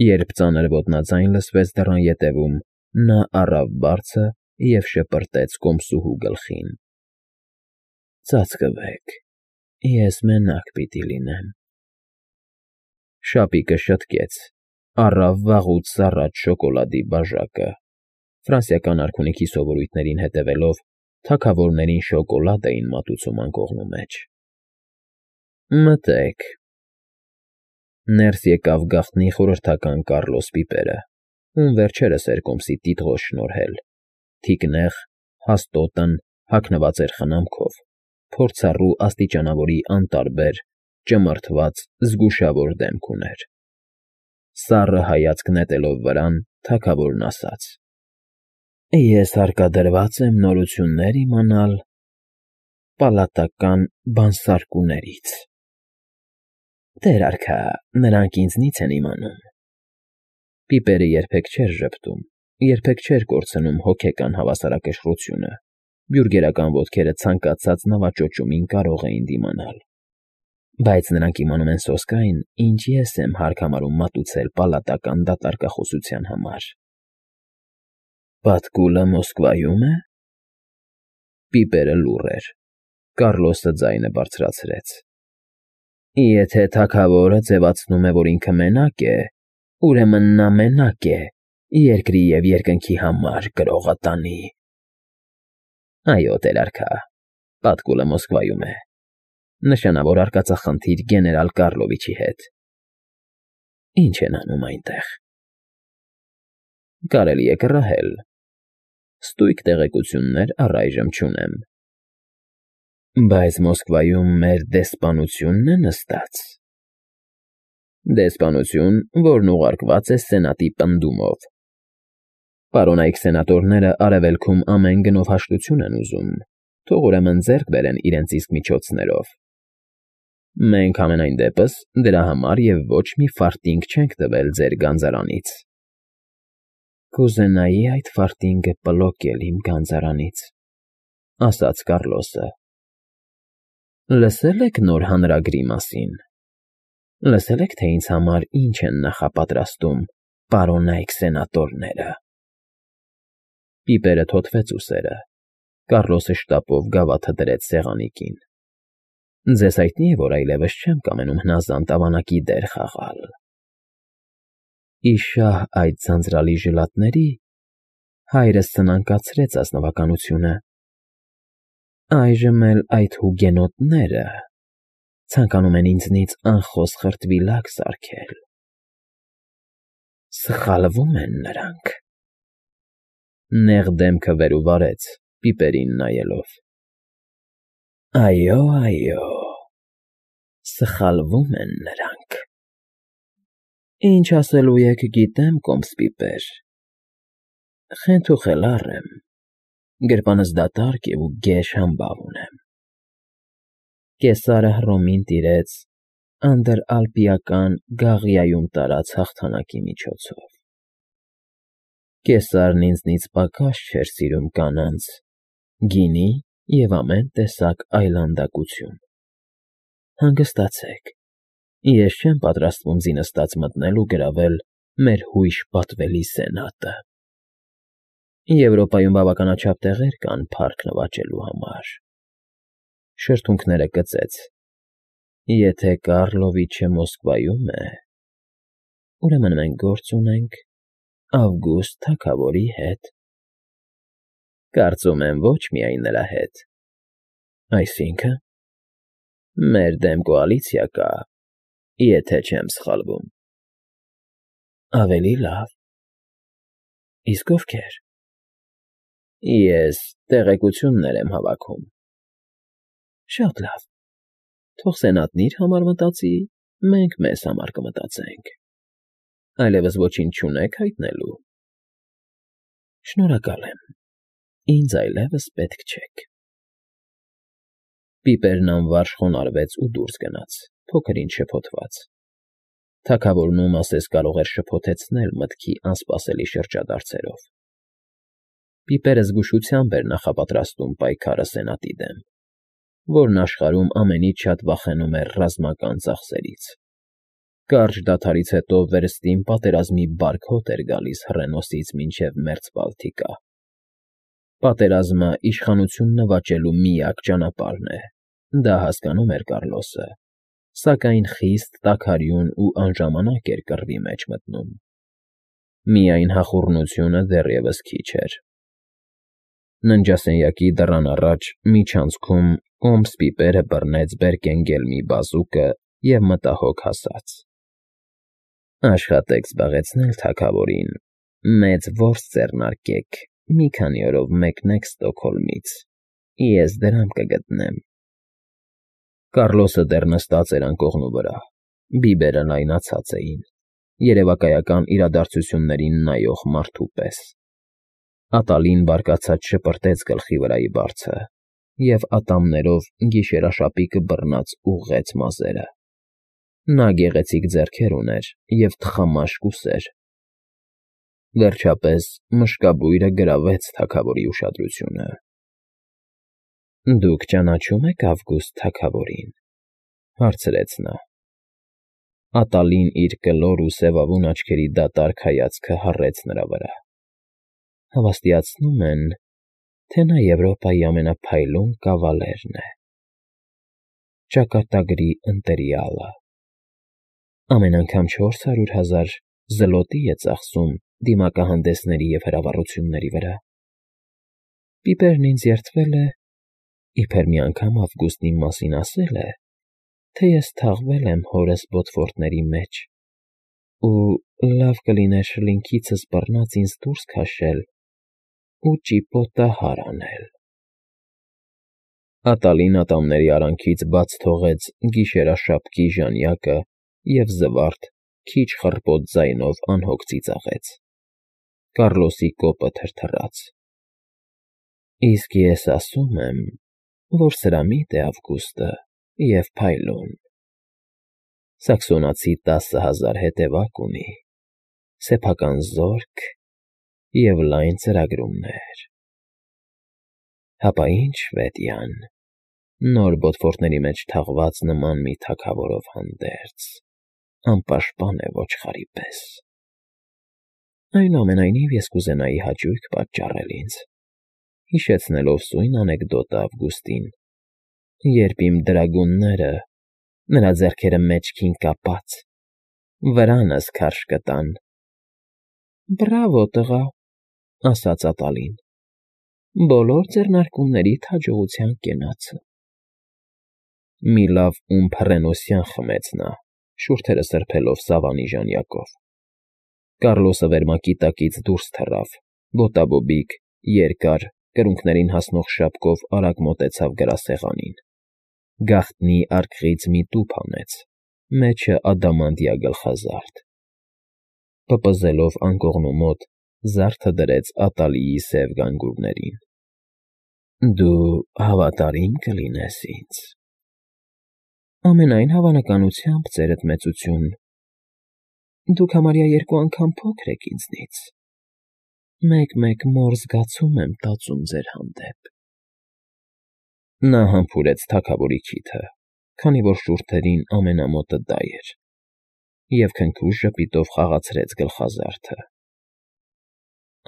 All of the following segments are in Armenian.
Երբ ծանր ոտնաձայն լսվեց դռան ետևում, նա առավ բարձը և շպրտեց կոմսուհու գլխին. «Ծածկվեք, ես մենակ պիտի լինեմ»։ Շապիկը շտկեց, առավ վաղուց սառած շոկոլադի բաժակը (ֆրանսիական արքունիքի սովորույթներին հետևելով, թագավորներին շոկոլադ էին մատուցում անկողնու մեջ)։ «Մտե՛ք»։ Ներս եկավ գաղտնի խորհրդական Կառլոս պիպերը, ում վերջերս էր կոմսի տիտղոս շնորհել, թիկնեղ, հաստոտն հագնված էր խնամքով, փորձառու աստիճանավորի անտարբեր, ճմրթված, զգուշավոր դեմք ուներ։ Սառը հայացք նետելով վրան, թագավորն ասաց. «Ես հարկադրված եմ նորություններ իմանալ պալատական բանսարկուներից»։ «Տեր արքա, նրանք ինձնից են իմանում»։ Պիպերը երբեք չէր ժպտում, երբեք չէր կորցնում հոգեկան հավասարակշռությունը, բյուրգերական ոտքերը ցանկացած նավաճոճումին կարող էին դիմանալ։ Բայց նրանք իմանում են սոսկ այն, ինչ ես եմ հարկ համարում մատուցել պալատական դատարկախոսության համար։ «Պատկուլը Մոսկվայո՞ւմ է»։ Պիպերը լուռ էր։ Կառլոսը ձայնը բարձրացրեց. «Եթե թագավորը ձևացնում է, որ ինքը մենակ է, ուրեմն նա մենակ է երկրի և երկնքի համար կրողատանի»։ «Այո, տեր արքա, Պատկուլը Մոսկվայում է, նշանավոր արկածախնդիր գեներալ Կառլովիչի հետ»։ «Ի՞նչ են անում այնտեղ»։ «Կարելի է կռահել։ Ստույգ տեղեկություններ առայժմ չունեմ»։ «Բայց Մոսկվայում մեր դեսպանությո՞ւնն է նստած»։ «Դեսպանություն, որն ուղարկված է սենատի պնդումով։ Պարոնայք սենատորները Արևելքում ամեն գնով հաշտություն են ուզում, թող ուրեմն ձեռք բերեն իրենց իսկ միջոցներով։ Մենք համենայն դեպս դրա համար և ոչ մի ֆարտինգ չենք տվել ձեր գանձարանից»։ «Կուզենայի այդ ֆարտինգը պլոկել իմ գանձարանից», ասաց Կառլոսը։ «Լսե՞լ եք նոր հանրագրի մասին։ Լսե՞լ եք, թե ինձ համար ինչ են նախապատրաստում պարոնայք սենատորները»։ Պիպերը թոթվեց ուսերը։ Կառլոսը շտապով գավաթը դրեց սեղանին։ «Ձեզ հայտնի է, որ այլևս չեմ կամենում հնազանդ ավանակի դեր խաղալ։ Ի շահ այդ ձանձրալի ժլատների հայրս սնանկացրեց ազնվականությունը։ Այժմ էլ այդ հուգենոտները ցանկանում են ինձնից անխոս խրտվիլակ սարքել։ Սխալվում են նրանք»։ Նեղ դեմքը վեր ու վարեց, պիպերին նայելով։ «Այո, այո, սխալվում են նրանք։ Ինչ ասելու եք, գիտեմ, կոմս պիպեր։ Խենթուխելառ եմ, գրպանս դատարկ է ու գեշ համբավ ունեմ։ Կեսարը Հռոմին տիրեց անդրալպիական Գաղիայում տարած հաղթանակի միջոցով։ Կեսարն ինձնից պակաս չէր սիրում կանանց, գինի և ամեն տեսակ այլանդակություն։ Հանգստացեք, ես չեմ պատրաստվում ձինստաց մտնել ու գրավել մեր հույժ պատվելի սենատը։ Եվրոպայում բավականաչափ տեղեր կան փառք նվաճելու համար»։ Շրթունքները կծեց։ «Եթե Կառլովիչը Մոսկվայում է, ուրեմն մենք գործ ունենք Ավգուստ թագավորի հետ»։ «Կարծում եմ, ոչ միայն նրա հետ»։ «Այսինքն»։ «Մեր դեմ կոալիցիա կա, եթե չեմ սխալվում»։ «Ավելի լավ։ Իսկ ովքեր»։ «Ես տեղեկություններ եմ հավաքում»։ «Շատ լավ, թող սենատն իր համար մտածի, մենք մեզ համար կմտածենք։ Այլևս ոչինչ չունեք հայտնելու»։ «Շնորհակալ եմ, ինձ այլևս պետք չեք»։ Պիպերն անվարժ խոնարհվեց ու դուրս գնաց, փոքր֊ինչ շփոթված։ Թագավորն ում ասես կարող էր շփոթեցնել մտքի անսպասելի շրջադարձերով։ Պիպերը զգուշությամբ էր նախապատրաստում պայքարը սենատի դեմ, որն աշխարհում ամենից շատ վախենում էր ռազմական ծախսերից։ Կարճ դադարից հետո վերստին պատերազմի բարդ հոտ էր գալիս հռենոսից մինչև մերձ Բալթիկա։ Պատերազմը իշխանություն նվաճելու միակ ճանապարհն է, դա հասկանում էր Կառլոսը, սակայն խիստ տաքարյուն ու անժամանակ էր կռվի մեջ մտնում։ Միայն հախուռնությունը դեռևս քիչ էր։ Ննջասենյակի դռան առաջ միջանցքում կոմս պիպերը բռնեց Բերկենգելմի բազուկը և մտահոգ ասաց. «Աշխատեք զբաղեցնել թագավորին, մեծ որս ձեռնարկեք, մի քանի օրով մեկնեք Ստոկհոլմից, ես դրամ կգտնեմ»։ Կառլոսը դեռ նստած էր անկողնու վրա, բիբերը լայնացած էին, երևակայական իրադարձություններին նայող մարդու պես։ Ատալին բարկացած շպրտեց գլխի վրայի բարձը և ատամներով գիշերաշապիկը բռնած ուղղեց մազերը։ Նա գեղեցիկ ձեռքեր ուներ և թխամաշ ուսեր։ Վերջապես մշկաբույրը գրավեց թագավորի ուշադրությունը։ «Դուք ճանաչո՞ւմ եք Ավգուստ թագավորին», հարցրեց նա։ Ատալին իր կլոր ու սևավուն աչքերի դատարկ հայացքը հառեց նրա վրա։ «Հավաստիացնում են, թե նա Եվրոպայի ամենափայլուն կավալերն է, ճակատագրի ընտելյալը, ամեն անգամ 400,000 զլոտի է ծախսում դիմակահանդեսների և հրավառությունների վրա։ Պիպերն ինձ երդվել է, իբր մի անգամ Ավգուստն իմ մասին ասել է, թե ես թաղվել եմ հորս բոթվորտների մեջ, ու լավ կլիներ շլինքիցս բռնած ինձ դուրս քաշել ու ճիպոտահար անել»։ Ատալին ատամների արանքից բաց թողեց գիշերաշապկի ժանյակը և զվարթ, քիչ խռպոտ ձայնով անհոգ ծիծաղեց։ Կառլոսի կոպը թրթռաց։ «Իսկ ես ասում եմ, որ սրամիտ է Ավգուստը և փայլուն։ Սաքսոնացի 10,000 հետևակ ունի, սեփական զորք և լայն ծրագրումներ։ Հապա ինչ Շվեդիան, նոր բոթվորտների մեջ թաղված նման մի թագավորով հանդերձ, անպաշտպան է ոչխարի պես։ Այնուամենայնիվ ես կուզենայի հաճույք պատճառել ինձ, հիշեցնելով սույն անեկդոտը Ավգուստին, երբ իմ դրագունները, նրա ձեռքերը մեջքին կապած, վրանս քարշ կտան»։ «Բրավո, տղա», ասաց Ատալին, «բոլոր ձեռնարկումներիդ հաջողության կենացը»։ Մի լավ ումբ հռենոսյան խմեց նա, շուրթերը սրբելով սավանի ժանյակով։ Կառլոսը վերմակի տակից դուրս թռավ, ոտաբոբիկ, երկար, կրունկներին հասնող շապկով արագ մոտեցավ գրասեղանին։ Գաղտնի արկղից մի տուփ հանեց, մեջը ադամանդյա գլխազարդ։ Պպզելով անկողնու մոտ, զարդը դրեց Ատալիի սև գանգուրներին։ «Դու հավատարիմ կլինես ինձ»։ «Ամենայն հավանականությամբ, ծերդ մեծություն, դուք համարյա 2 անգամ փոքր եք ինձնից, մեկ-մեկ մոր զգացում եմ տածում ձեր հանդեպ»։ Նա համբուրեց թագավորի քիթը, քանի որ շուրթերին ամենամոտը դա էր, և քնքուշ ժպիտով խաղացրեց գլխազարդը։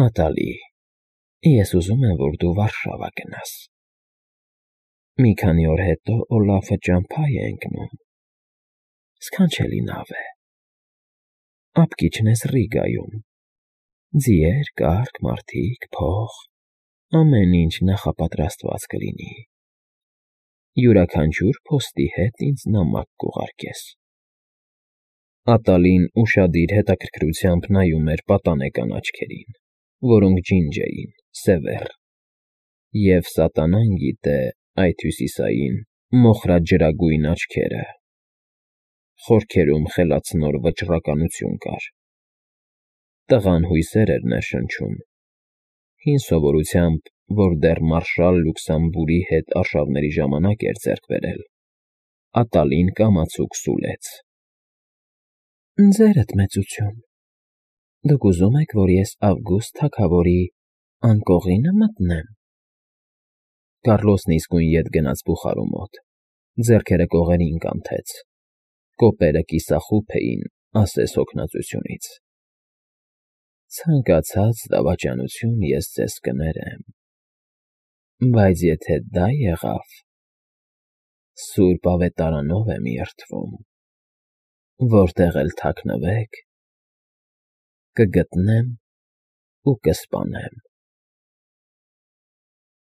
«Ատալի, ես ուզում եմ, որ դու Վարշավա գնաս։ Մի քանի օր հետո Օլաֆը ճամփա է ընկնում, սքանչելի նավ է, ապկիչն ես Ռիգայում, ձիեր, կառք, մարդիկ, փող, ամեն ինչ նախապատրաստված կլինի։ Յուրաքանչյուր փոստի հետ ինձ նամակ կուղարկես»։ Ատալին ուշադիր հետաքրքրությամբ նայում էր պատանեկան աչքերին, որոնք ջինջ էին, սևեռ, և սատանան գիտե այդ հյուսիսային, մոխրաջրագույն աչքերը։ Խորքերում խելացնոր վճռականություն կար։ Տղան հույսեր էր ներշնչում, հին սովորությամբ, որ դեռ մարշալ Լյուքսեմբուրի հետ արշավների ժամանակ էր ձեռք բերել, Ատալին կամացուկ սուլեց. «Ձերդ մեծություն, դուք ուզում եք, որ ես Ավգուստ թագավորի անկողի՞նը մտնեմ»։ Կառլոսն իսկույն ետ գնաց բուխարու մոտ, ձեռքերը կողերին կանթեց, Կոպերը կիսախուփ էին ասես հոգնածությունից։ Ցանկացած դավաճանություն ես ձեզ կներեմ, բայց եթե դա եղավ, Սուրբ Ավետարանով եմ երդվում, որտեղ էլ թաքնվեք, կգտնեմ ու կսպանեմ։